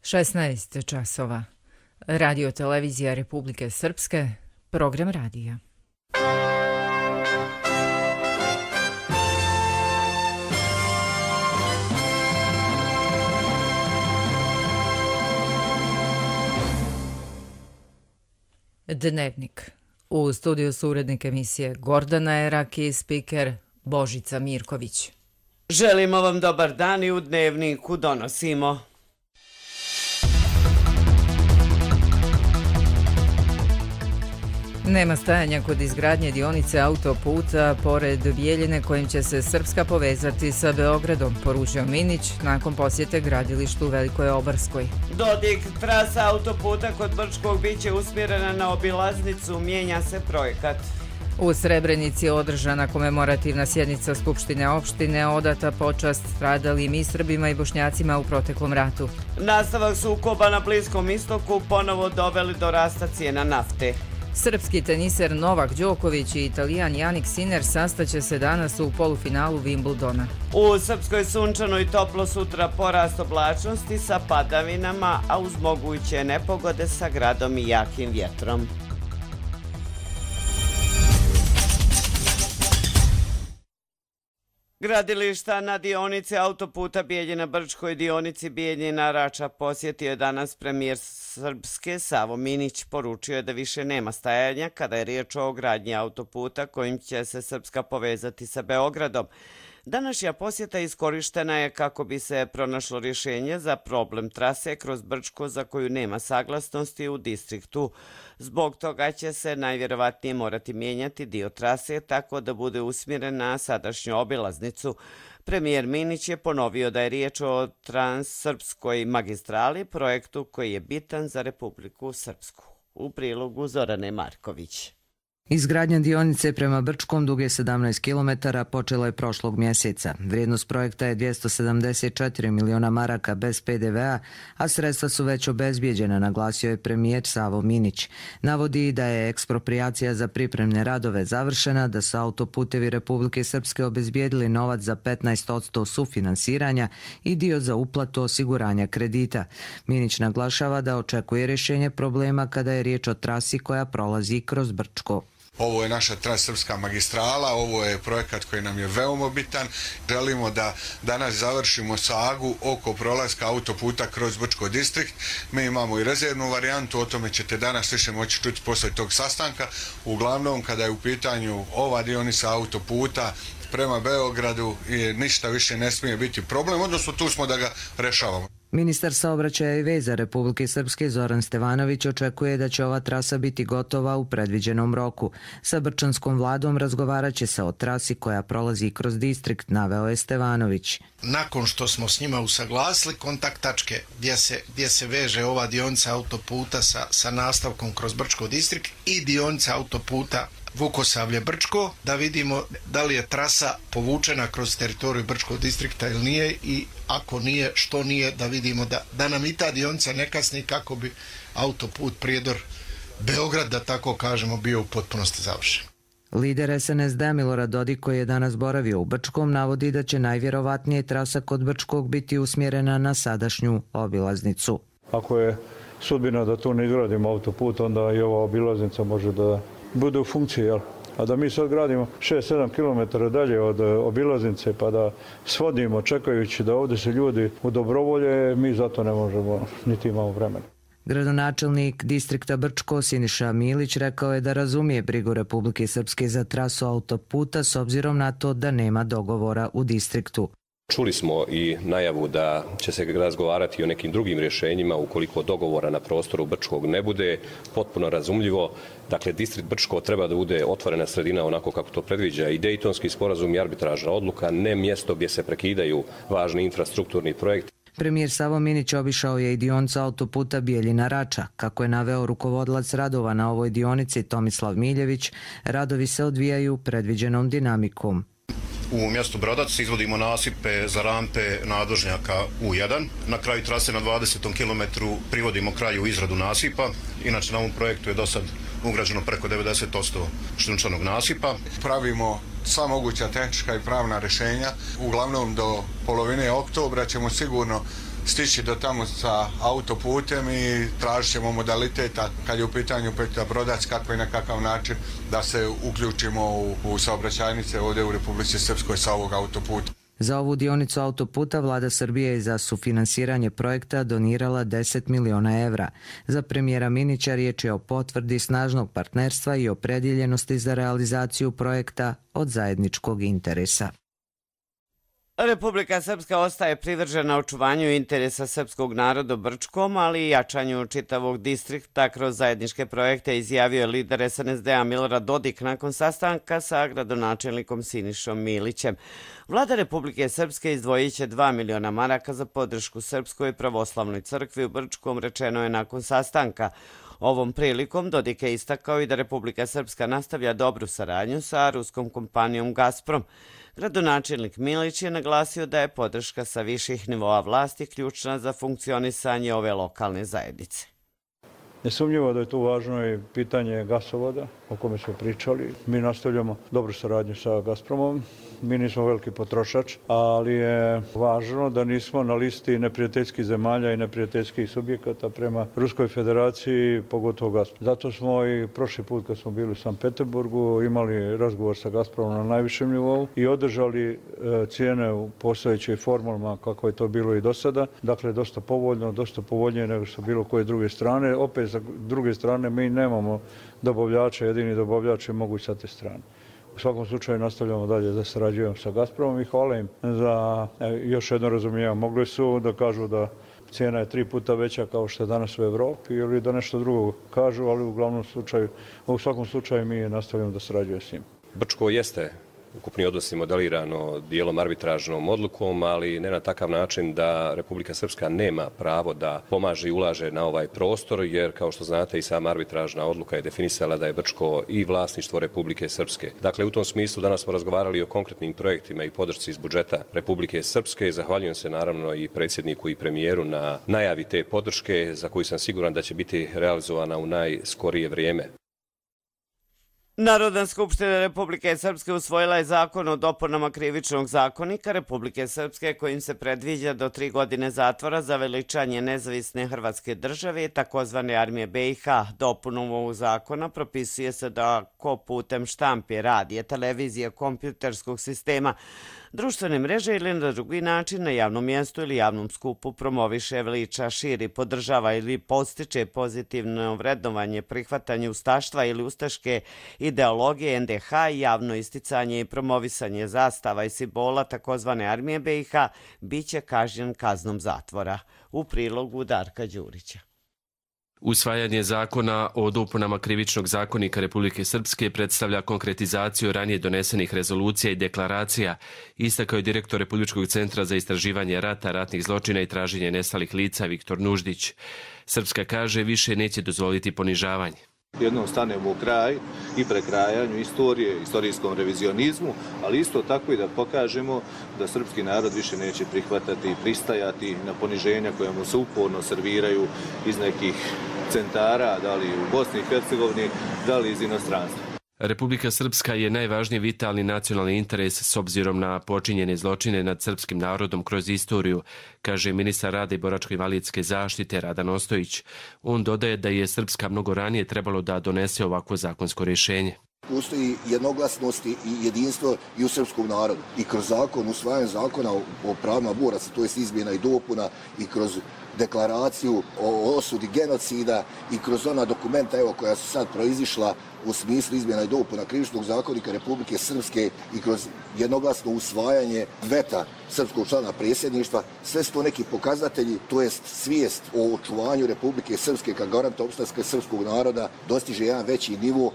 16 časova. Radio televizija Republike Srpske, program radija. Dnevnik. U studiju su urednik emisije Gordana Erak i spiker Božica Mirković. Želimo vam dobar dan i u Dnevniku donosimo. Nema stajanja kod izgradnje dionice autoputa pored Bjeljine kojim će se Srpska povezati sa Beogradom, poručio Minić nakon posjete gradilištu u Velikoj Obarskoj. Dodik trasa autoputa kod Brčkog biće usmjerena na obilaznicu, mijenja se projekat. U Srebrenici je održana komemorativna sjednica Skupštine opštine, odata počast stradalim i Srbima i Bošnjacima u proteklom ratu. Nastavak sukoba na Bliskom istoku ponovo doveli do rasta cijena nafte. Srpski teniser Novak Đoković i Italijan Jannik Sinner sastaće se danas u polufinalu Wimbledona. U Srpskoj sunčano i toplo sutra porast oblačnosti sa padavinama, a uz moguće nepogode sa gradom i jakim vjetrom. Gradilišta na dionici autoputa Bijeljina-Brčko i dionici Bijeljina-Rača posjetio je danas premijer Srpske Savo Minić. Poručio je da više nema stajanja kada je riječ o gradnji autoputa kojim će se Srpska povezati sa Beogradom. Današnja posjeta iskorištena je kako bi se pronašlo rješenje za problem trase kroz Brčko za koju nema saglasnosti u distriktu. Zbog toga će se najvjerovatnije morati mijenjati dio trase tako da bude usmjeren na sadašnju obilaznicu. Premijer Minić je ponovio da je riječ o transsrpskoj magistrali, projektu koji je bitan za Republiku Srpsku. U prilogu Zorane Marković. Izgradnja dionice prema Brčkom duge 17 km počela je prošlog mjeseca. Vrijednost projekta je 274 miliona maraka bez PDV-a, a sredstva su već obezbijeđena, naglasio je premijer Savo Minić. Navodi da je eksproprijacija za pripremne radove završena, da su autoputevi Republike Srpske obezbijedili novac za 15% sufinansiranja i dio za uplatu osiguranja kredita. Minić naglašava da očekuje rješenje problema kada je riječ o trasi koja prolazi kroz Brčko. Ovo je naša transsrpska magistrala, ovo je projekat koji nam je veoma bitan. Želimo da danas završimo sagu oko prolaska autoputa kroz Brčko distrikt. Mi imamo i rezervnu varijantu, o tome ćete danas više moći čuti poslije tog sastanka. Uglavnom, kada je u pitanju ova dionica autoputa prema Beogradu, ništa više ne smije biti problem, odnosno tu smo da ga rešavamo. Ministar saobraćaja i veza Republike Srpske Zoran Stevanović očekuje da će ova trasa biti gotova u predviđenom roku. Sa brčanskom vladom razgovarat će se o trasi koja prolazi kroz distrikt, naveo je Stevanović. Nakon što smo s njima usaglasili kontakt tačke gdje se veže ova dionica autoputa sa nastavkom kroz Brčko distrikt i dionica autoputa Vukosavlje-Brčko, da vidimo da li je trasa povučena kroz teritoriju Brčkog distrikta ili nije i ako nije, što nije, da vidimo da nam i ta dionica ne kasni kako bi autoput Prijedor-Beograd, da tako kažemo, bio u potpunosti završen. Lider SNSD Milorad Dodik, koji je danas boravio u Brčkom, navodi da će najvjerovatnije trasa kod Brčkog biti usmjerena na sadašnju obilaznicu. Ako je sudbina da tu ne izgradimo autoput, onda i ova obilaznica može da bude u funkciji, jel? A da mi sad gradimo 6-7 km dalje od obilaznice pa da svodimo čekajući da ovdje se ljudi u dobrovolje, mi zato ne možemo, niti imamo vremena. Gradonačelnik distrikta Brčko Siniša Milić rekao je da razumije brigu Republike Srpske za trasu autoputa s obzirom na to da nema dogovora u distriktu. Čuli smo i najavu da će se razgovarati o nekim drugim rješenjima ukoliko dogovora na prostoru Brčkog ne bude, potpuno razumljivo. Dakle, distrikt Brčko treba da bude otvorena sredina onako kako to predviđa i Dejtonski sporazum i arbitražna odluka, ne mjesto gdje se prekidaju važni infrastrukturni projekti. Premijer Savo Minić obišao je i dionicu autoputa Bijeljina-Rača. Kako je naveo rukovodilac radova na ovoj dionici Tomislav Miljević, radovi se odvijaju predviđenom dinamikom. U mjestu Bradac izvodimo nasipe za rampe nadvožnjaka U1. Na kraju trase na 20. kilometru privodimo kraju izradu nasipa. Inače na ovom projektu je do sad ugrađeno preko 90% šljunčanog nasipa. Pravimo sva moguća tehnička i pravna rješenja. Uglavnom do polovine oktobra ćemo sigurno stići do tamo sa autoputem i tražit ćemo modaliteta kad je u pitanju Petar Brodac kako i na kakav način da se uključimo u saobraćajnice ovdje u Republici Srpskoj sa ovog autoputa. Za ovu dionicu autoputa vlada Srbije je za sufinansiranje projekta donirala 10 miliona evra. Za premijera Minića riječ je o potvrdi snažnog partnerstva i opredjeljenosti za realizaciju projekta od zajedničkog interesa. Republika Srpska ostaje privržena očuvanju interesa srpskog naroda u Brčkom, ali i jačanju čitavog distrikta kroz zajedničke projekte, izjavio je lider SNSD-a Milorad Dodik nakon sastanka sa gradonačelnikom Sinišom Milićem. Vlada Republike Srpske izdvojit će 2 miliona maraka za podršku Srpskoj pravoslavnoj crkvi u Brčkom, rečeno je nakon sastanka. Ovom prilikom Dodik je istakao i da Republika Srpska nastavlja dobru saradnju sa ruskom kompanijom Gazprom. Gradonačelnik Milić je naglasio da je podrška sa viših nivoa vlasti ključna za funkcionisanje ove lokalne zajednice. Nesumnjivo da je tu važno i pitanje gasovoda o kome smo pričali. Mi nastavljamo dobru saradnju sa Gazpromom. Mi nismo veliki potrošač, ali je važno da nismo na listi neprijateljskih zemalja i neprijateljskih subjekata prema Ruskoj federaciji, pogotovo Gazprom. Zato smo i prošli put kad smo bili u Sankt Peterburgu imali razgovor sa Gazpromom na najvišem nivou i održali cijene u postojećoj formulama kako je to bilo i do sada. Dakle, dosta povoljno, dosta povoljnije nego što bilo koje druge strane. Opet, sa druge strane, mi nemamo dobavljača, jedini dobavljač je moguć sa te strane. U svakom slučaju nastavljamo dalje da sarađujemo sa Gazpromom i hvala im za još jedno razumijevanje. Mogli su da kažu da cijena je 3 puta veća kao što je danas u Evropi ili da nešto drugo kažu, ali u svakom slučaju mi nastavljamo da sarađujemo s njim. Brčko jeste ukupni odnosi modelirano dijelom arbitražnom odlukom, ali ne na takav način da Republika Srpska nema pravo da pomaže i ulaže na ovaj prostor, jer kao što znate i sama arbitražna odluka je definisala da je Brčko i vlasništvo Republike Srpske. Dakle, u tom smislu danas smo razgovarali o konkretnim projektima i podršci iz budžeta Republike Srpske. Zahvaljujem se naravno i predsjedniku i premijeru na najavi te podrške za koju sam siguran da će biti realizovana u najskorije vrijeme. Narodna skupština Republike Srpske usvojila je zakon o dopunama Krivičnog zakonika Republike Srpske kojim se predviđa do 3 godine zatvora za veličanje nezavisne Hrvatske države, takozvane armije BiH. Dopunom ovog zakona propisuje se da ko putem štampe, radija, televizije, kompjuterskog sistema, društvene mreže ili na drugi način na javnom mjestu ili javnom skupu promoviše, veliča, širi, podržava ili postiče pozitivno vrednovanje, prihvatanje ustaštva ili ustaške ideologije NDH i javno isticanje i promovisanje zastava i simbola takozvane armije BiH biće kažnjen kaznom zatvora. U prilogu Darka Đurića. Usvajanje zakona o dopunama Krivičnog zakonika Republike Srpske predstavlja konkretizaciju ranije donesenih rezolucija i deklaracija, istakao je direktor Republičkog centra za istraživanje rata, ratnih zločina i traženje nestalih lica Viktor Nuždić. Srpska kaže više neće dozvoliti ponižavanje. Jednom stanemo u kraj i prekrajanju istorije, istorijskom revizionizmu, ali isto tako i da pokažemo da srpski narod više neće prihvatati i pristajati na poniženja koja mu se uporno serviraju iz nekih centara, da li u Bosni i Hercegovini, da li iz inostranstva. Republika Srpska je najvažniji vitalni nacionalni interes s obzirom na počinjene zločine nad srpskim narodom kroz istoriju, kaže ministar rada i boračko-invalidske zaštite Radan Ostojić. On dodaje da je Srpska mnogo ranije trebalo da donese ovakvo zakonsko rješenje. Postoji jednoglasnost i jedinstvo i u srpskom narodu. I kroz zakon, usvajanje zakona o pravima boraca, to je izmjena i dopuna, i kroz deklaraciju o osudi genocida i kroz ona dokumenta koja su sad proizišla u smislu izmjena i dopuna Krivičnog zakonika Republike Srpske i kroz jednoglasno usvajanje veta srpskog člana predsjedništva, sve su to neki pokazatelji, to jest svijest o očuvanju Republike Srpske kao garanta opstanka srpskog naroda dostiže jedan veći nivo.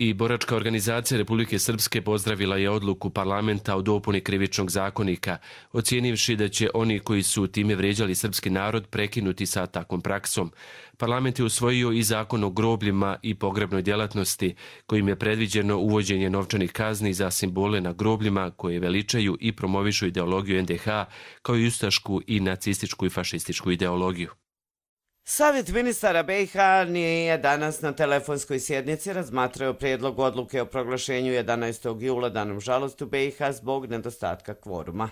I boračka organizacija Republike Srpske pozdravila je odluku parlamenta o dopuni Krivičnog zakonika, ocijenivši da će oni koji su time vrijeđali srpski narod prekinuti sa takvom praksom. Parlament je usvojio i zakon o grobljima i pogrebnoj djelatnosti, kojim je predviđeno uvođenje novčanih kazni za simbole na grobljima koje veličaju i promovišu ideologiju NDH, kao i ustašku i nacističku i fašističku ideologiju. Savjet ministara BiH nije danas na telefonskoj sjednici razmatrao prijedlog odluke o proglašenju 11. jula danom žalosti u BiH zbog nedostatka kvoruma.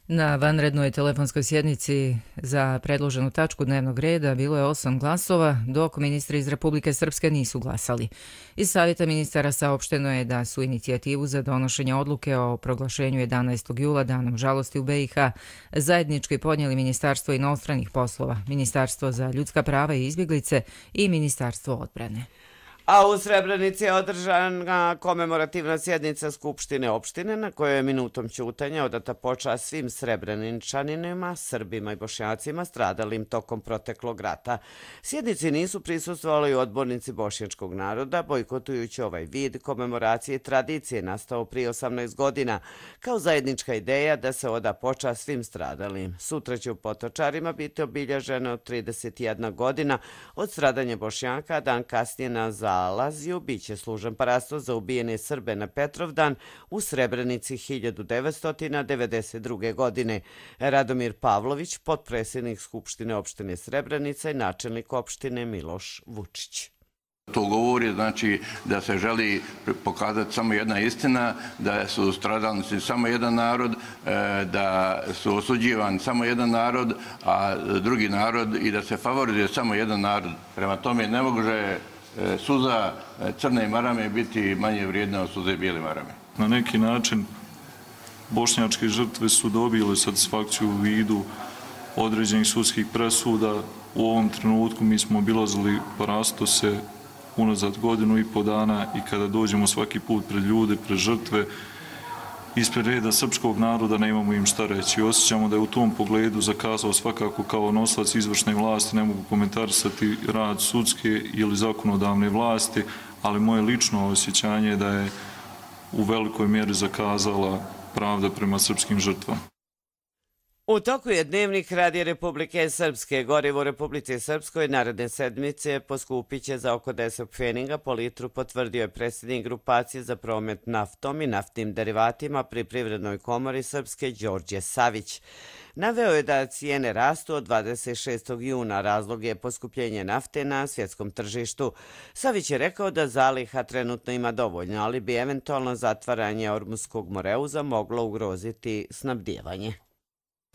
Na vanrednoj telefonskoj sjednici za predloženu tačku dnevnog reda bilo je 8 glasova, dok ministri iz Republike Srpske nisu glasali. Iz Savjeta ministara saopšteno je da su inicijativu za donošenje odluke o proglašenju 11. jula danom žalosti u BiH zajednički podnijeli Ministarstvo inostranih poslova, Ministarstvo za ljudska prava i izbjeglice i Ministarstvo odbrane. A u Srebrenici je održana komemorativna sjednica Skupštine opštine na kojoj je minutom ćutanja odata počast svim Srebreničanima, Srbima i Bošnjacima stradalim tokom proteklog rata. Sjednici nisu prisustvovali odbornici bošnjačkog naroda, bojkotujući ovaj vid komemoracije i tradicije nastao prije 18 godina kao zajednička ideja da se oda počast svim stradalim. Sutra će u Potočarima biti obilježeno 31 godina od stradanja Bošnjaka, dan kasnije na Zalazju biće služen parasto za ubijene Srbe na Petrovdan u Srebrenici 1992. godine. Radomir Pavlović, potpredsjednik Skupštine opštine Srebrenica i načelnik opštine Miloš Vučić. To govori znači da se želi pokazati samo jedna istina, da su stradalnici samo jedan narod, da su osuđivani samo jedan narod, a drugi narod i da se favorizuje samo jedan narod. Prema tome ne može suza crne marame biti manje vrijedna od suze bijele marame. Na neki način bošnjačke žrtve su dobile satisfakciju u vidu određenih sudskih presuda. U ovom trenutku mi smo obilazili parastose unazad 1,5 dana i kada dođemo svaki put pred ljude, pred žrtve, ispred reda srpskog naroda nemamo im šta reći. Osjećamo da je u tom pogledu zakazao svakako kao nosilac izvršne vlasti, ne mogu komentarisati rad sudske ili zakonodavne vlasti, ali moje lično osjećanje je da je u velikoj mjeri zakazala pravda prema srpskim žrtvama. U toku je Dnevnik Radija Republike Srpske. Gorivo u Republici Srpskoj naredne sedmice poskupit će za oko 10 pfeninga po litru, potvrdio je predsjednik grupacije za promet naftom i naftnim derivatima pri Privrednoj komori Srpske Đorđe Savić. Naveo je da cijene rastu od 26. juna, razlog je poskupljenje nafte na svjetskom tržištu. Savić je rekao da zaliha trenutno ima dovoljno, ali bi eventualno zatvaranje Ormuskog Moreuza moglo ugroziti snabdijevanje.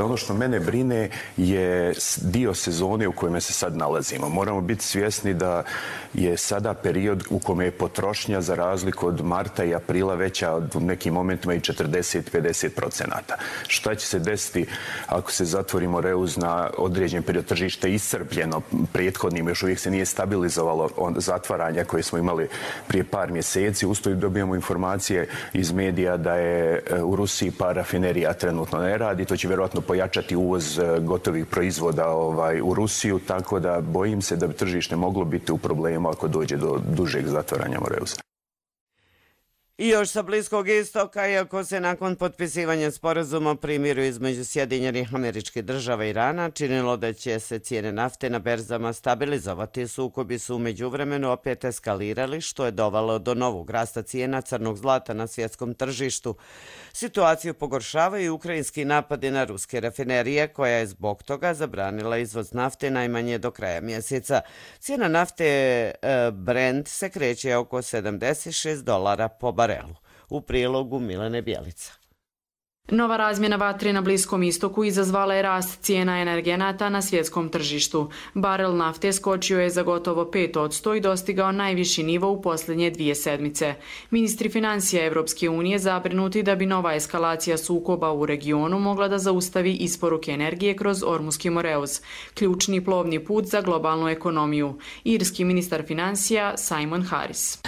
Ono što mene brine je dio sezone u kojem se sad nalazimo. Moramo biti svjesni da je sada period u kome je potrošnja za razliku od marta i aprila veća od u nekim momentima i 40-50%. Šta će se desiti ako se zatvori Moreuz na određen period, tržište iscrpljeno prethodnim, još uvijek se nije stabilizovalo zatvaranja koje smo imali prije par mjeseci. Usto dobijamo informacije iz medija da je u Rusiji par rafinerija trenutno ne radi, to će vjerojatno pojačati uvoz gotovih proizvoda u Rusiju, tako da bojim se da bi tržište moglo biti u problemu ako dođe do dužeg zatvaranja Moreuza. I još sa Bliskog istoka, iako se nakon potpisivanja sporazuma o primiru između Sjedinjenih Američkih Država i Irana činilo da će se cijene nafte na berzama stabilizovati, sukobi su u međuvremenu opet eskalirali, što je dovelo do novog rasta cijena crnog zlata na svjetskom tržištu. Situaciju pogoršavaju i ukrajinski napadi na ruske rafinerije, koja je zbog toga zabranila izvoz nafte najmanje do kraja mjeseca. Cijena nafte Brent se kreće oko $76 po barelu. U prilogu Milene Bjelica. Nova razmjena vatre na Bliskom istoku izazvala je rast cijena energenata na svjetskom tržištu. Barel nafte skočio je za gotovo 5% i dostigao najviši nivo u posljednje 2 sedmice. Ministri financija Evropske unije zabrinuti da bi nova eskalacija sukoba u regionu mogla da zaustavi isporuke energije kroz Ormuski Moreuz, ključni plovni put za globalnu ekonomiju. Irski ministar financija Simon Harris.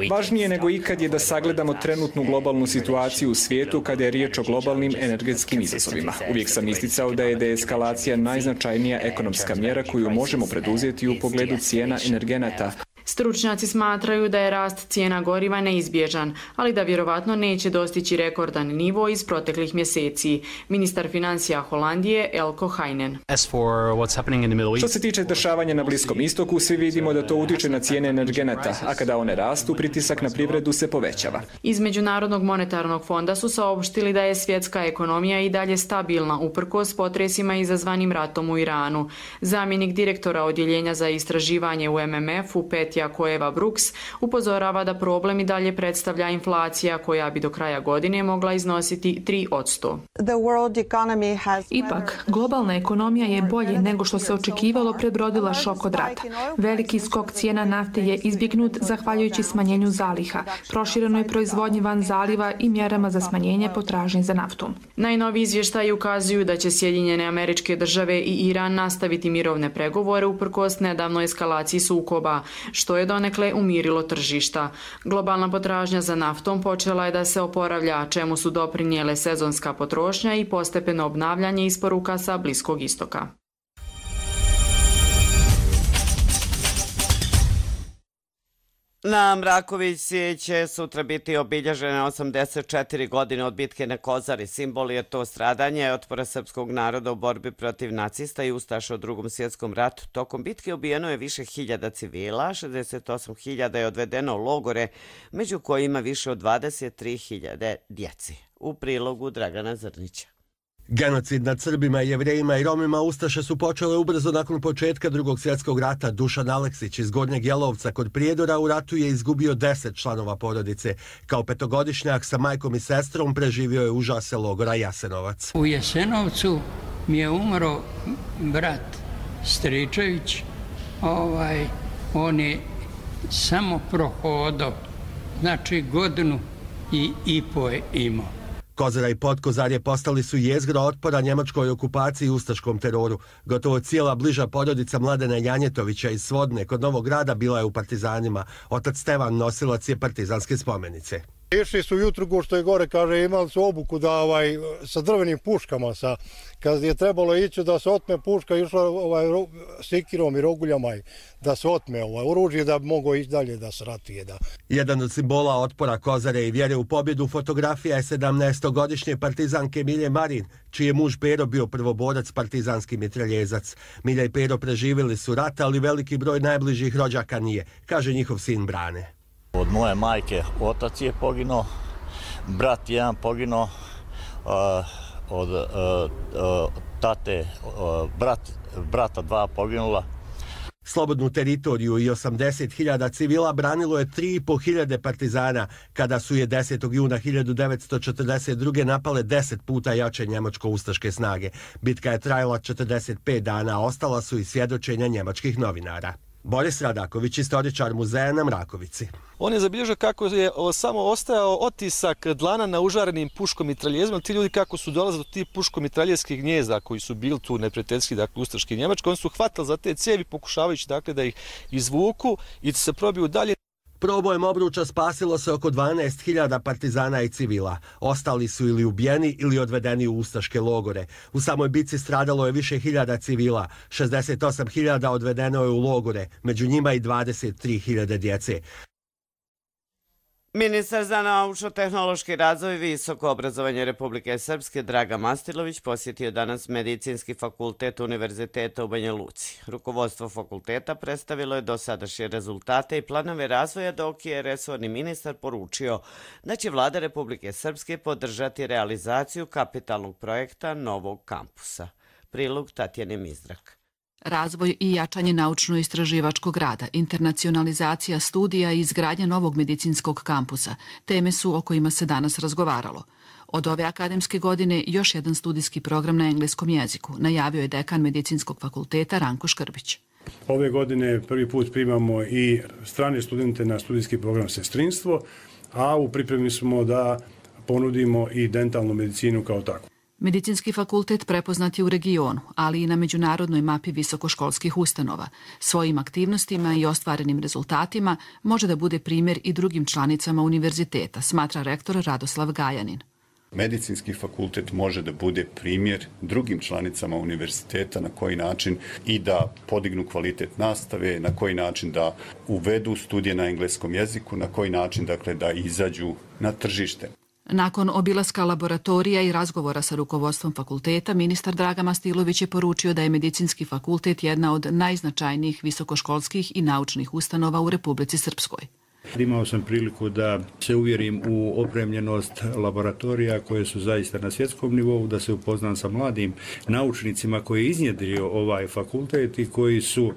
Važnije nego ikad je da sagledamo trenutnu globalnu situaciju u svijetu kada je riječ o globalnim energetskim izazovima. Uvijek sam isticao da je deeskalacija najznačajnija ekonomska mjera koju možemo preduzeti u pogledu cijena energenata. Stručnjaci smatraju da je rast cijena goriva neizbježan, ali da vjerovatno neće dostići rekordan nivo iz proteklih mjeseci. Ministar financija Holandije Elko Heinen. Što se tiče dešavanja na Bliskom istoku, svi vidimo da to utiče na cijene energenata, a kada one rastu, pritisak na privredu se povećava. Iz Međunarodnog monetarnog fonda su saopštili da je svjetska ekonomija i dalje stabilna uprkos potresima izazvanim ratom u Iranu. Zamjenik direktora odjeljenja za istraživanje u MMF-u Pet Tiako Eva Brooks upozorava da problem i dalje predstavlja inflacija koja bi do kraja godine mogla iznositi 3%. Ipak, globalna ekonomija je bolje nego što se očekivalo prebrodila šok od rata. Veliki skok cijena nafte je izbjegnut zahvaljujući smanjenju zaliha, proširenoj proizvodnji van zaliva i mjerama za smanjenje potražnje za naftom. Najnoviji izvještaji ukazuju da će Sjedinjene Američke Države i Iran nastaviti mirovne pregovore uprkos nedavnoj eskalaciji sukoba, što je donekle umirilo tržišta. Globalna potražnja za naftom počela je da se oporavlja, čemu su doprinijele sezonska potrošnja i postepeno obnavljanje isporuka sa Bliskog istoka. Na Mrakovici će sutra biti obilježene 84 godine od bitke na Kozari. Simbol je to stradanje otpora srpskog naroda u borbi protiv nacista i ustaša u Drugom svjetskom ratu. Tokom bitke ubijeno je više hiljada civila, 68.000 je odvedeno u logore, među kojima više od 23.000 djeci. U prilogu Dragana Zrnića. Genocid nad Srbima, Jevrejima i Romima ustaše su počele ubrzo nakon početka Drugog svjetskog rata. Dušan Aleksić iz Gornjeg Jelovca kod Prijedora u ratu je izgubio 10 članova porodice. Kao petogodišnjak sa majkom i sestrom preživio je užase logora Jasenovac. U Jasenovcu mi je umro brat Stričević. On je samo prohodao, znači godinu i po je imao. Kozara i Podkozarje postali su jezgra otpora njemačkoj okupaciji i ustaškom teroru. Gotovo cijela bliža porodica Mladena Janjetovića iz Svodne kod Novog Grada bila je u partizanima. Otac Stevan nosilac je partizanske spomenice. Išli su jutro, što je gore, kaže, imali su obuku da sa drvenim puškama, kad je trebalo ići da se otme puška, išla sikirom i roguljama da se otme oružje da bi mogao ići dalje da se ratuje. Jedan od simbola otpora Kozare i vjere u pobjedu fotografija je 17-godišnje partizanke Milje Marin, čiji je muž Pero bio prvoborac partizanski mitraljezac. Milja i Pero preživjeli su rat, ali veliki broj najbližih rođaka nije, kaže njihov sin Brane. Od moje majke otac je poginuo, brat jedan poginuo, od tate brata dva poginula. Slobodnu teritoriju i 80.000 civila branilo je 3.500 partizana, kada su je 10. juna 1942. napale 10 puta jače njemačko-ustaške snage. Bitka je trajala 45 dana, a ostala su i svjedočenja njemačkih novinara. Boris Radaković, istoričar muzeja na Mrakovici. On je zabilježio kako je samo ostajao otisak dlana na užarenim puškomitraljezima. Ti ljudi kako su dolazili do tih puškomitraljezskih gnjezda koji su bili tu neprijateljski, dakle ustaški i njemački, oni su hvatali za te cijevi pokušavajući dakle da ih izvuku i da se probiju dalje. Probojem obruča spasilo se oko 12.000 partizana i civila. Ostali su ili ubijeni ili odvedeni u ustaške logore. U samoj bitci stradalo je više hiljada civila, 68.000 odvedeno je u logore, među njima i 23.000 djece. Ministar za naučno-tehnološki razvoj i visoko obrazovanje Republike Srpske Dragan Mastilović posjetio danas Medicinski fakultet Univerziteta u Banja Luci. Rukovodstvo fakulteta predstavilo je dosadašnje rezultate i planove razvoja, dok je resorni ministar poručio da će vlada Republike Srpske podržati realizaciju kapitalnog projekta novog kampusa. Prilog Tatjane Mizdrak. Razvoj i jačanje naučno-istraživačkog rada, internacionalizacija studija i izgradnja novog medicinskog kampusa, teme su o kojima se danas razgovaralo. Od ove akademske godine još jedan studijski program na engleskom jeziku, najavio je dekan Medicinskog fakulteta Ranko Škrbić. Ove godine prvi put primamo i strane studente na studijski program sestrinstvo, a u pripremi smo da ponudimo i dentalnu medicinu kao takvu. Medicinski fakultet prepoznat je u regionu, ali i na međunarodnoj mapi visokoškolskih ustanova. Svojim aktivnostima i ostvarenim rezultatima može da bude primjer i drugim članicama univerziteta, smatra rektor Radoslav Gajanin. Medicinski fakultet može da bude primjer drugim članicama univerziteta na koji način i da podignu kvalitet nastave, na koji način da uvedu studije na engleskom jeziku, na koji način dakle da izađu na tržište. Nakon obilaska laboratorija i razgovora sa rukovodstvom fakulteta, ministar Dragan Mastilović je poručio da je Medicinski fakultet jedna od najznačajnijih visokoškolskih i naučnih ustanova u Republici Srpskoj. Imao sam priliku da se uvjerim u opremljenost laboratorija koje su zaista na svjetskom nivou, da se upoznam sa mladim naučnicima koji je iznjedrio ovaj fakultet i koji su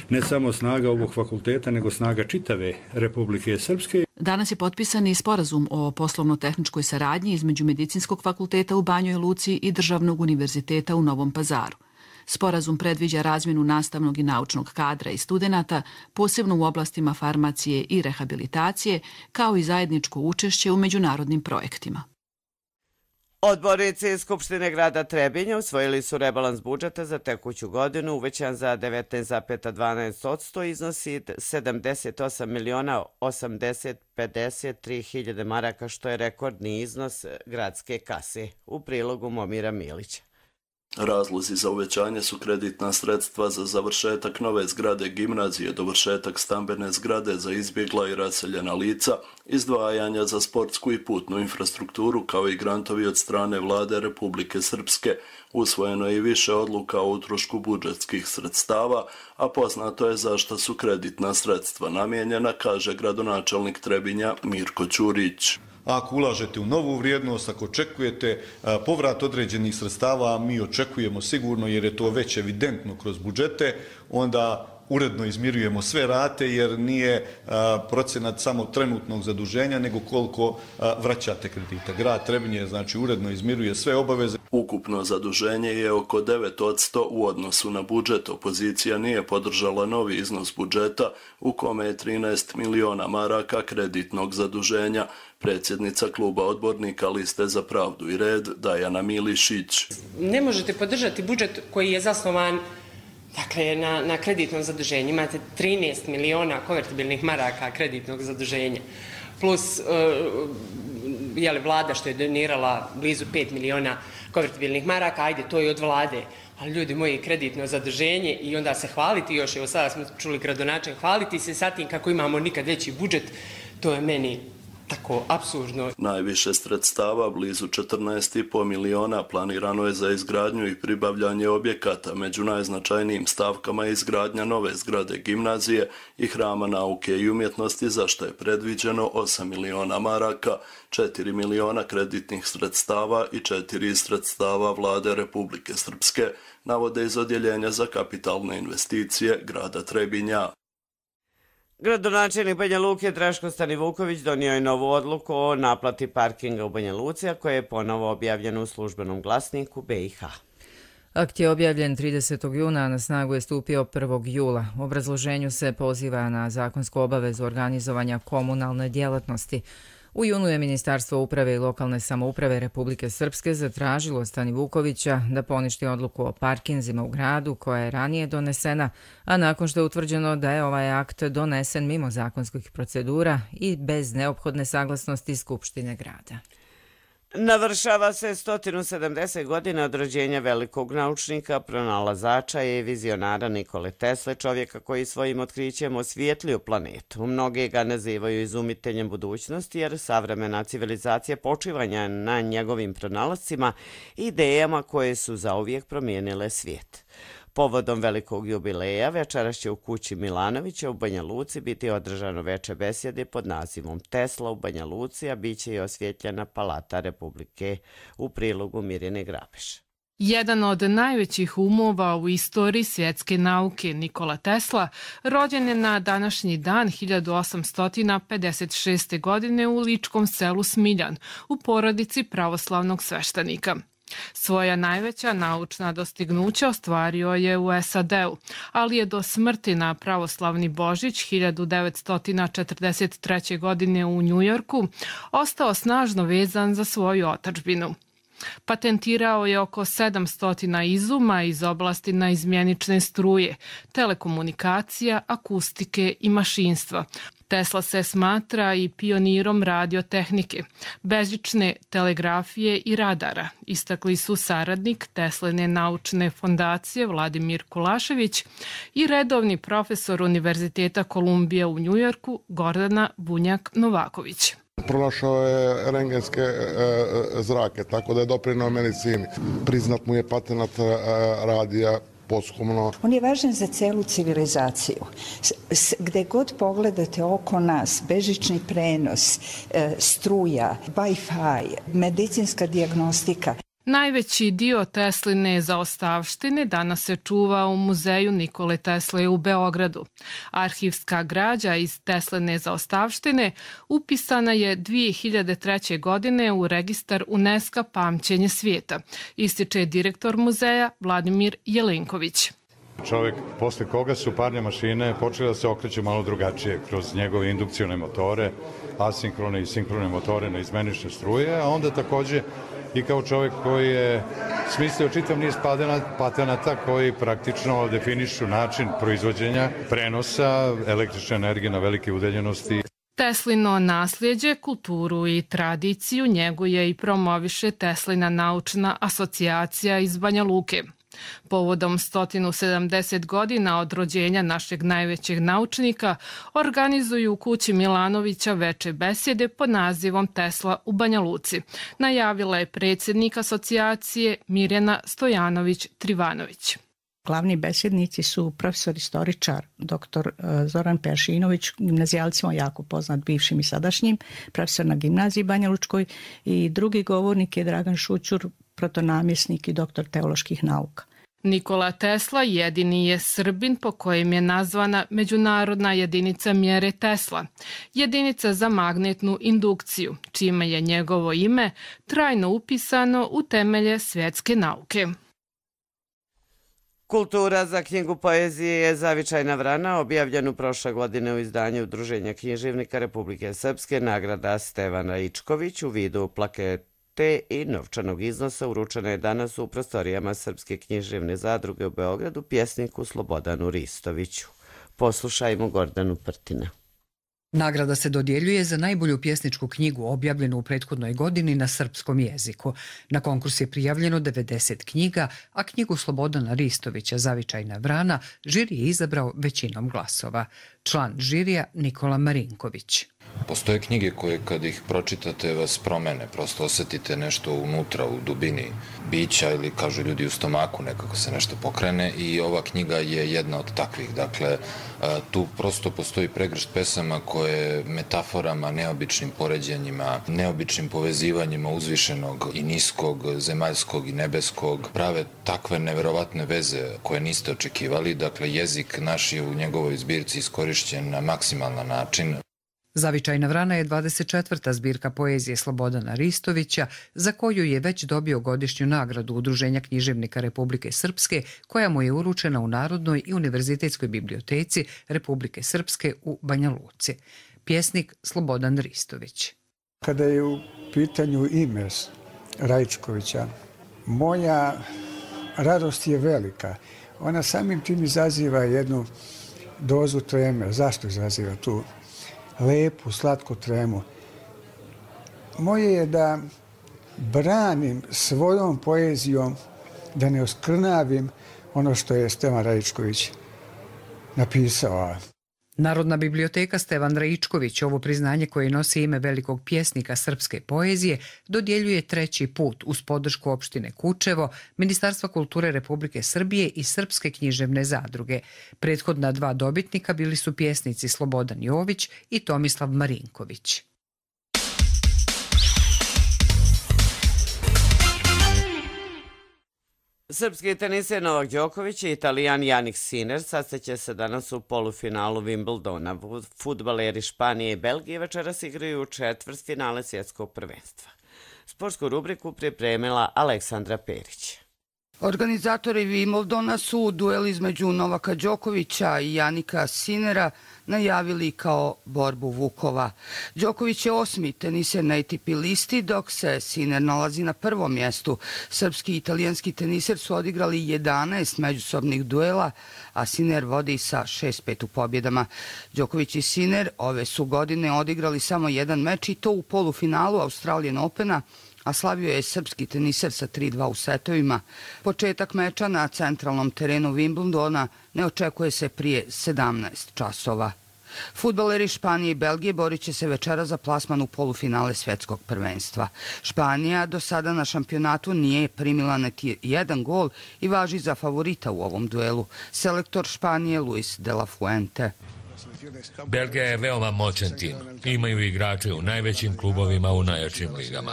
ne samo snaga ovog fakulteta, nego snaga čitave Republike Srpske. Danas je potpisan i sporazum o poslovno-tehničkoj saradnji između Medicinskog fakulteta u Banjoj Luci i Državnog univerziteta u Novom Pazaru. Sporazum predviđa razmjenu nastavnog i naučnog kadra i studenata, posebno u oblastima farmacije i rehabilitacije, kao i zajedničko učešće u međunarodnim projektima. Odbornici Skupštine grada Trebinja usvojili su rebalans budžeta za tekuću godinu, uvećan za 19,12%, iznosi 78.853.000 maraka, što je rekordni iznos gradske kase. U prilogu Momira Milića. Razlozi za uvećanje su kreditna sredstva za završetak nove zgrade gimnazije, dovršetak stambene zgrade za izbjegla i raseljena lica, izdvajanja za sportsku i putnu infrastrukturu, kao i grantovi od strane Vlade Republike Srpske. Usvojeno je i više odluka o utrošku budžetskih sredstava, a poznato je zašto su kreditna sredstva namijenjena, kaže gradonačelnik Trebinja Mirko Ćurić. Ako ulažete u novu vrijednost, ako očekujete povrat određenih sredstava, mi očekujemo sigurno, jer je to već evidentno kroz budžete, onda uredno izmirujemo sve rate, jer nije procenat samo trenutnog zaduženja, nego koliko vraćate kredita. Grad Trebinje znači uredno izmiruje sve obaveze. Ukupno zaduženje je oko 9% u odnosu na budžet. Opozicija nije podržala novi iznos budžeta, u kome je 13 miliona maraka kreditnog zaduženja. Predsjednica kluba odbornika Liste za pravdu i red Dajana Milišić. Ne možete podržati budžet koji je zasnovan na kreditnom zaduženju. Imate 13 miliona konvertibilnih maraka kreditnog zaduženja. Plus vlada što je donirala blizu 5 miliona konvertibilnih maraka, ajde, to je od vlade. Ali ljudi moji, kreditno zaduženje i onda se hvaliti još, evo sada smo čuli gradonačelnik, hvaliti se sa tim kako imamo nikad veći budžet, to je meni tako apsurdno. Najviše sredstava, blizu 14,5 miliona, planirano je za izgradnju i pribavljanje objekata. Među najznačajnijim stavkama je izgradnja nove zgrade gimnazije i Hrama nauke i umjetnosti, za što je predviđeno 8 miliona maraka, 4 miliona kreditnih sredstava i 4 iz sredstava Vlade Republike Srpske, navode iz Odjeljenja za kapitalne investicije grada Trebinja. Gradonačelnik Banja Luke Draško Stanivuković donio je novu odluku o naplati parkinga u Banja Luci, a koja je ponovo objavljena u službenom glasniku BiH. Akt je objavljen 30. juna, a na snagu je stupio 1. jula. U obrazloženju se poziva na zakonsku obavezu organizovanja komunalne djelatnosti. U junu je Ministarstvo uprave i lokalne samouprave Republike Srpske zatražilo Stanivukovića da poništi odluku o parkinzima u gradu koja je ranije donesena, a nakon što je utvrđeno da je ovaj akt donesen mimo zakonskih procedura i bez neophodne saglasnosti Skupštine grada. Navršava se 170 godina od rođenja velikog naučnika, pronalazača i vizionara Nikole Tesle, čovjeka koji svojim otkrićem osvijetlio planetu. Mnogi ga nazivaju izumiteljem budućnosti, jer savremena civilizacija počivanja na njegovim pronalascima i idejama koje su zauvijek promijenile svijet. Povodom velikog jubileja večeras će u kući Milanovića u Banja Luci biti održano veče besjede pod nazivom Tesla u Banja Luci, a bit će i osvjetljena Palata Republike, u prilogu Mirjane Grabeš. Jedan od najvećih umova u istoriji svjetske nauke, Nikola Tesla, rođen je na današnji dan 1856. godine u ličkom selu Smiljan, u porodici pravoslavnog sveštenika. Svoja najveća naučna dostignuća ostvario je u SAD-u, ali je do smrti na pravoslavni Božić 1943. godine u Njujorku ostao snažno vezan za svoju otadžbinu. Patentirao je oko 700 izuma iz oblasti naizmjenične struje, telekomunikacija, akustike i mašinstva. Tesla se smatra i pionirom radiotehnike, bežične telegrafije i radara, istakli su saradnik Teslene naučne fondacije Vladimir Kulašević i redovni profesor Univerziteta Kolumbije u Njujorku Gordana Bunjak-Novaković. Pronašao je rengenske zrake, tako da je doprinao medicini. Priznat mu je patenat radija posthumno. On je važan za celu civilizaciju. Gde god pogledate oko nas, bežični prenos, struja, Wi-Fi, medicinska dijagnostika. Najveći dio Tesline zaostavštine danas se čuva u muzeju Nikole Tesle u Beogradu. Arhivska građa iz Tesline zaostavštine upisana je 2003. godine u registar UNESCO Pamćenje svijeta, ističe direktor muzeja Vladimir Jelenković. Čovjek posle koga su parne mašine počele da se okreću malo drugačije kroz njegove indukcione motore, asinkrone i sinkrone motore na izmenične struje, a onda također i kao čovjek koji je smislio čitav niz patenata koji praktično definišu način proizvođenja, prenosa električne energije na velike udaljenosti. Teslino nasljeđe, kulturu i tradiciju njeguje i promoviše Teslina naučna asocijacija iz Banja Luke. Povodom 170 godina od rođenja našeg najvećeg naučnika organizuju u kući Milanovića veče besjede pod nazivom Tesla u Banja Luci. Najavila je predsjednik asocijacije Mirjana Stojanović-Trivanović. Glavni besjednici su profesor istoričar dr. Zoran Peršinović, gimnazijalcima jako poznat, bivšim i sadašnjim, profesor na gimnaziji Banja Lučkoj, i drugi govornik je Dragan Šućur, protonamjesnik i doktor teoloških nauka. Nikola Tesla jedini je Srbin po kojem je nazvana međunarodna jedinica mjere Tesla, jedinica za magnetnu indukciju, čime je njegovo ime trajno upisano u temelje svjetske nauke. Kultura za knjigu poezije je Zavičajna vrana, objavljenu prošle godine u izdanju Udruženja književnika Republike Srpske, nagrada Stevan Raičković u vidu plakete i novčanog iznosa uručena je danas u prostorijama Srpske književne zadruge u Beogradu pjesniku Slobodanu Ristoviću. Poslušajmo Gordanu Prtina. Nagrada se dodjeljuje za najbolju pjesničku knjigu objavljenu u prethodnoj godini na srpskom jeziku. Na konkurs je prijavljeno 90 knjiga, a knjigu Slobodana Ristovića Zavičajna vrana žiri je izabrao većinom glasova. Član žirija Nikola Marinković. Postoje knjige koje kad ih pročitate vas promene, prosto osjetite nešto unutra u dubini bića ili kažu ljudi u stomaku nekako se nešto pokrene i ova knjiga je jedna od takvih. Dakle, tu prosto postoji pregršt pesama koje metaforama, neobičnim poređenjima, neobičnim povezivanjima uzvišenog i niskog, zemaljskog i nebeskog prave takve neverovatne veze koje niste očekivali. Dakle, jezik naš je u njegovoj zbirci iskorišćen na maksimalan način. Zavičajna vrana je 24. zbirka poezije Slobodana Ristovića, za koju je već dobio godišnju nagradu Udruženja književnika Republike Srpske, koja mu je uručena u Narodnoj i univerzitetskoj biblioteci Republike Srpske u Banja Luci. Pjesnik Slobodan Ristović. Kada je u pitanju ime Raičkovića, moja radost je velika. Ona samim tim izaziva jednu dozu treme. Zašto izaziva tu lepu, slatku tremu? Moje je da branim svojom poezijom, da ne oskrnavim ono što je Stevan Raičković napisao. Narodna biblioteka Stevan Raičković ovo priznanje koje nosi ime velikog pjesnika srpske poezije dodjeljuje treći put uz podršku opštine Kučevo, Ministarstva kulture Republike Srbije i Srpske književne zadruge. Prethodna dva dobitnika bili su pjesnici Slobodan Jović i Tomislav Marinković. Srpski teniser Novak Đoković i Italijan Jannik Sinner sastaće se danas u polufinalu Wimbledona. Fudbaleri Španije i Belgije večeras igraju u četvrtfinale svjetskog prvenstva. Sportsku rubriku pripremila Aleksandra Perić. Organizatori Wimbledona su duel između Novaka Đokovića i Jannika Sinnera najavili kao borbu vukova. Đoković je 8. teniser na ATP listi, dok se Sinner nalazi na prvom mjestu. Srpski i italijanski teniser su odigrali 11 međusobnih duela, a Sinner vodi sa 6-5 u pobjedama. Đoković i Sinner ove su godine odigrali samo jedan meč i to u polufinalu Australian Opena, a slavio je srpski teniser sa 3-2 u setovima. Početak meča na centralnom terenu Wimbledona ne očekuje se prije 17 časova. Fudbaleri Španije i Belgije borit će se večera za plasman u polufinale svetskog prvenstva. Španija do sada na šampionatu nije primila niti jedan gol i važi za favorita u ovom duelu. Selektor Španije Luis de la Fuente. Belgija je veoma moćan tim. Imaju igrače u najvećim klubovima u najjačim ligama.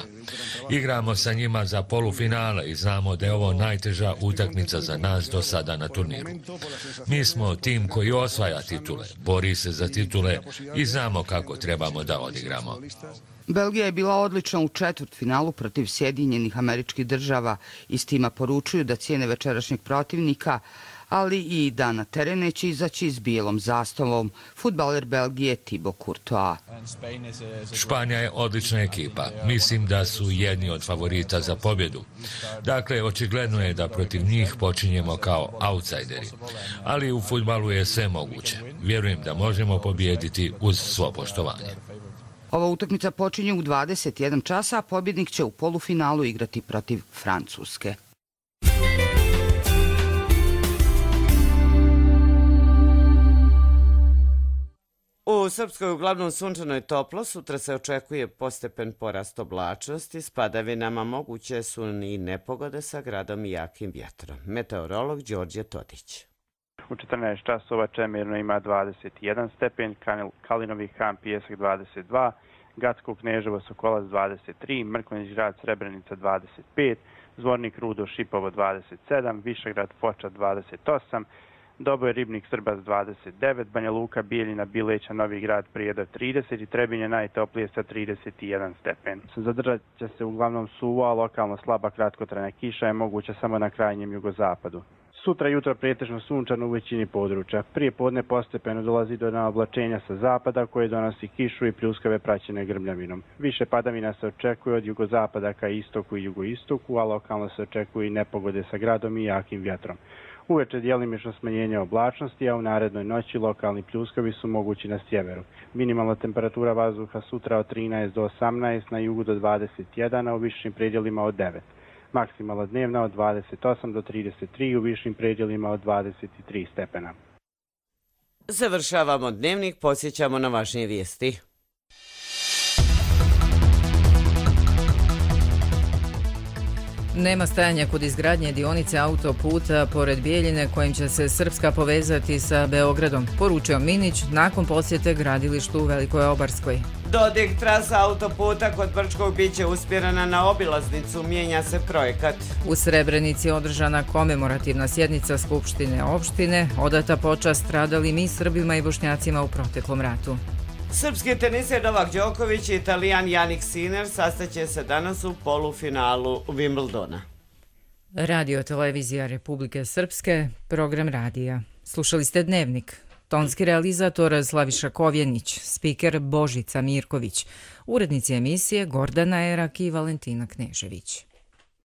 Igramo sa njima za polufinale i znamo da je ovo najteža utakmica za nas do sada na turniru. Mi smo tim koji osvaja titule, bori se za titule i znamo kako trebamo da odigramo. Belgija je bila odlična u četvrtfinalu protiv Sjedinjenih Američkih Država. Iz tima poručuju da cijene večerašnjeg protivnika, ali i da na teren neće izaći s bijelom zastavom. Fudbaler Belgije Thibaut Courtois. Španija je odlična ekipa. Mislim da su jedni od favorita za pobjedu. Dakle, očigledno je da protiv njih počinjemo kao outsideri. Ali u fudbalu je sve moguće. Vjerujem da možemo pobijediti uz svo poštovanje. Ova utakmica počinje u 21 časa, a pobjednik će u polufinalu igrati protiv Francuske. U Srpskoj uglavnom sunčano je toplo, sutra se očekuje postepen porast oblačnosti, s padavinama moguće su i nepogode sa gradom i jakim vjetrom. Meteorolog Đorđe Todić. U 14 časova Čemirno ima 21 stepen, Kalinovi Han Pijesak 22, Gacko Kneževo Sokolac 23, Mrkonjić Grad Srebrenica 25, Zvornik Rudo Šipovo 27, Višegrad Foča 28, Doboj Ribnik Srbac 29, Banja Luka Bijeljina Bileća Novi Grad Prijedor 30 i Trebinje najtoplije sa 31 stepen. Zadržat će se uglavnom suvo, a lokalno slaba kratkotrajna kiša je moguća samo na krajnjem jugozapadu. Sutra jutro pretežno sunčano u većini područja. Prije podne postepeno dolazi do naoblačenja sa zapada koje donosi kišu i pljuskave praćene grmljavinom. Više padavina se očekuje od jugozapada ka istoku i jugoistoku, a lokalno se očekuje i nepogode sa gradom i jakim vjetrom. Uveče djelimično smanjenje oblačnosti, a u narednoj noći lokalni pljuskovi su mogući na sjeveru. Minimalna temperatura vazduha sutra od 13 do 18, na jugu do 21, a u višim predjelima od 9. Maksimalna dnevna od 28 do 33, u višim predjelima od 23 stepena. Završavamo dnevnik, podsjećamo na važnije vijesti. Nema stajanja kod izgradnje dionice autoputa pored Bijeljine kojim će se Srpska povezati sa Beogradom, poručio Minić nakon posjete gradilištu u Velikoj Obarskoj. Dodik trasa autoputa kod Brčkog biće usmjerena na obilaznicu, mijenja se projekat. U Srebrenici je održana komemorativna sjednica Skupštine opštine, odata počast stradalim i Srbima i Bošnjacima u proteklom ratu. Srpski teniser Novak Đoković i Italijan Jannik Sinner sastaće se danas u polufinalu Wimbledona. Radio Televizija Republike Srpske, program radija. Slušali ste Dnevnik. Tonski realizator Slaviša Kovjenić, spiker Božica Mirković, urednici emisije Gordana Erak i Valentina Knežević.